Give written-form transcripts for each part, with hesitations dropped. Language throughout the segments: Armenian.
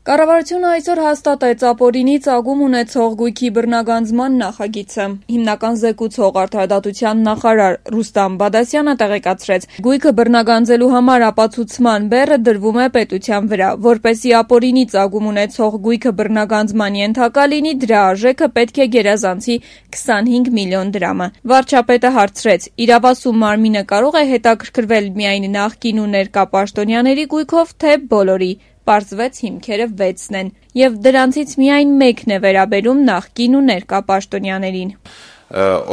Կառավարությունը այսօր հաստատեց ապօրինի ծագում ունեցող գույքի բռնագանձման նախագիծը։ Հիմնական զեկուցող արդարադատության նախարար Ռուստամ Բադասյանը տեղեկացրեց, գույքը բռնագանձելու համար ապացուցման բեռը դրվում է պետության վրա, որպեսզի ապօրինի ծագում ունեցող գույքը բռնագանձման ենթակա լինի, դրա արժեքը պետք է գերազանցի 25 միլիոն դրամը։ Վարչապետը հարցրեց, իրավասու մարմինը կարող է հետաքրքրվել միայն նախկին ու ներկա պաշտոնյաների գույքով, թե բոլորի։ Պարզվեց հիմքերը 6-ն են, եւ դրանցից միայն մեկն է վերաբերում նախկին ու ներկա պաշտոնյաներին։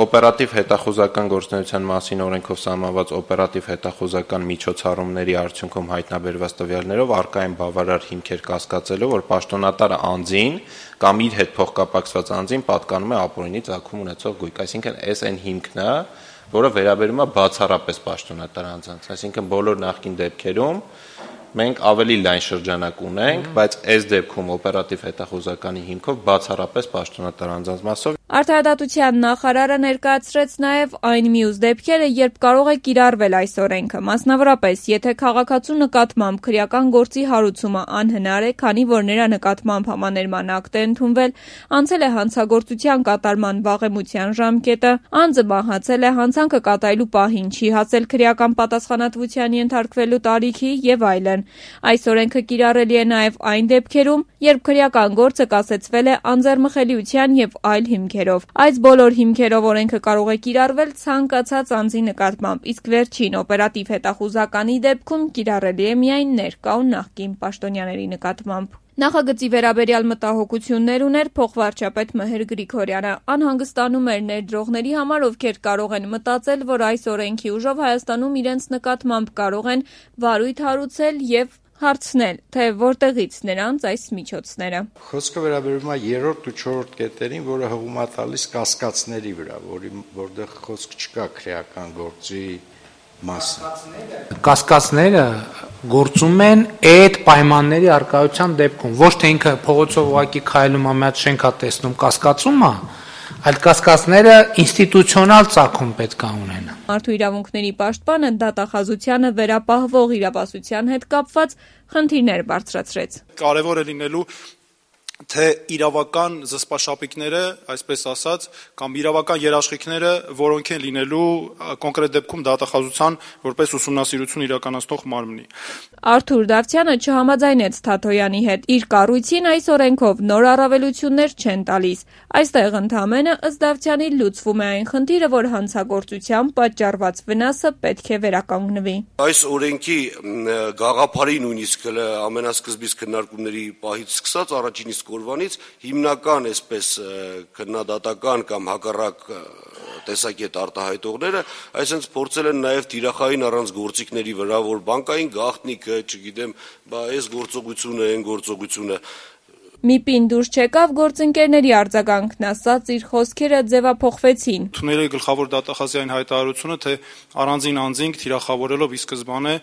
Օպերատիվ հետախուզական գործունեության մասին օրենքով սահմանված օպերատիվ հետախուզական միջոցառումների արդյունքում հայտնաբերված տվյալներով առկա են բավարար հիմքեր կասկածելով, որ պաշտոնատար անձին կամ իր հետ փոխկապակցված անձին պատկանում է ապօրինի ծագում ունեցող գույք, այսինքն այս այն հիմքն է, որը վերաբերում է բացառապես պաշտոնատար անձանց, այսինքն բոլոր նախկին դեպքերում մենք ավելի լայն շրջանակ ունենք, բայց այս դեպքում օպերատիվ հետախուզականի հիմքով բացառապես պաշտոնատար անձանց մասով։ Արդարադատության նախարարը ներկայացրեց նաև այն մյուս դեպքերը, երբ կարող է կիրառվել այս օրենքը, մասնավորապես, եթե քաղաքացու նկատմամբ քրեական գործի հարուցումը անհնար է, քանի որ նրա նկատմամբ համաներման ակտ է ընդունվել, անցել է հանցագործության կատարման վաղեմության ժամկետը, անձը մահացել է, հանցանքը կատարելու պահին չի հասել քրեական պատասխանատվության ենթարկվելու տարիքի եւ այլն։ Այս օրենքը կիրառելի է նաև այն դեպքերում, երբ քրեական գործը կասեցվել է անձեռմխելիության եւ այլ հիմքերով։ Այս բոլոր հիմքերով օրենքը կարող է կիրառվել ցանկացած անձի նկատմամբ, իսկ վերջին օպերատիվ հետախուզականի դեպքում կիրառելի է միայն ներկա ու նախկին պաշտոնյաների նկատմամբ։ Նախագծի վերաբերյալ մտահոգություններ ուներ փոխվարչապետ Մհեր Գրիգորյանը, անհանգստանում էր ներդրողների համար, ովքեր կարող են մտածել, որ այս օրենքի ուժով Հայաստանում իրենց նկատմամբ կարող են վարույթ հարուցել եւ հարցնել, թե որտեղից նրանց այս միջոցները։ Խոսքը վերաբերում է 3-րդ ու 4-րդ կետերին, որը հղում է տալիս կասկածների վրա, որտեղ խոսք չկա քրեական գործի մասին։ Կասկածները գործում են այդ պայմանների արկայության դեպքում, ոչ թե ինքը փողոցով ուղակի քայլում է, մի հատ շենք է տեսնում, կասկածում է, այլ կասկածները ինստիտուցիոնալ ծագում պետք է ունենան։ Մարդու իրավունքների պաշտպանը դատախազությանը վերապահվող իրավասության հետ կապված խնդիրներ բարձրացրեց։ Կարևոր է լինելու թե իրավական զսպաշապիկները, այսպես ասած, կամ իրավական երաշխիքները, որոնք են լինելու կոնկրետ դեպքում դատախազության որպես ուսումնասիրություն իրականացնող մարմնի։ Արթուր Դավթյանը չհամաձայնեց Թաթոյանի հետ։ Իր կառույցին այս օրենքով նոր առավելություններ չեն տալիս։ Այստեղ ընդհանրապես ըստ Դավթյանի լուծվում է այն խնդիրը, որ հանցագործությամբ պատճառված վնասը պետք է վերականգնվի։ Այս օրենքի գաղափարի նույնիսկ ամենասկզբից քննարկումների պահից սկսած առաջին իսկ օրվանից հիմնական այսպես քննադատական կամ հակառակ տեսակետ արտահայտողները այսինքն փորձել են նաև թիրախային առանց գործիքների վրա, որ բանկային գաղտնիքը, չգիտեմ, այս գործողությունը, այն գործողությունը Միպին դուրս չեկավ գործընկերների արձագանքն ասած իր խոսքերը ձևափոխվեցին։ Ընդունել է գլխավոր դատախազի այն հայտարարությունը, թե առանձին անձինք թիրախավորելով ի սկզբանե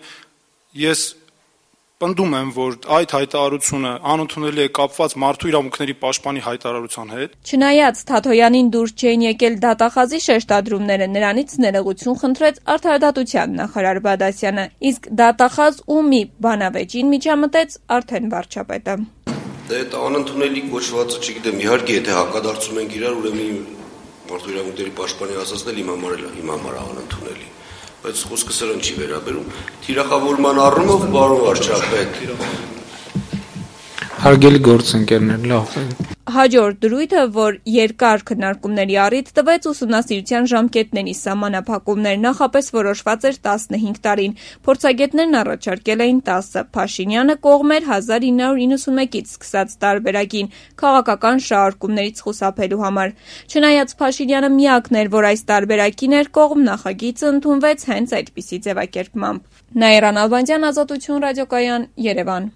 ես պնդում եմ, որ այդ հայտարարությունը անընդունելի է կապված մարդու իրավունքների պաշտպանի հայտարարության հետ։ Չնայած Թաթոյանին դուրս չէին եկել դատախազի շեշտադրումները, նրանից ներողություն խնդրեց արդարադատության նախարար Բադասյանը, իսկ դատախազ ու մի բանավեճին միջամտեց արդեն վարչապետը։ Այդ անընդունելի կոչվածը, չգիտեմ, իհարկե, եթե հակադարձում ենք իրար, ուրեմն մարդու իրավունքների պաշտպանի ասածն էլ իմ համար անընդունելի։ Բայց խոսքը սրան չի վերաբերում։ Թիրախավորման առումով բարով վարչապետ։ Հարգելի գործընկերներ, լավ։ Հաջորդ դրույթը, որ երկար քննարկումների առիթ տվեց ուսումնասիրության ժամկետների սահմանափակումներ, նախապես որոշված էր 15 տարին, փորձագետներն առաջարկել էին 10, Փաշինյանը կողմ էր 1991-ից սկսած տարբերակին քաղաքական շահարկումներից խուսափելու համար։ Չնայած Փաշինյանը միակն էր, որ այս տարբերակին էր կողմ, նախագիծը ընդունվեց հենց այդպիսի ձևակերպմամբ։ Նաիրա Նալբանդյան, Ազատություն ռադիոկայան, Երևան։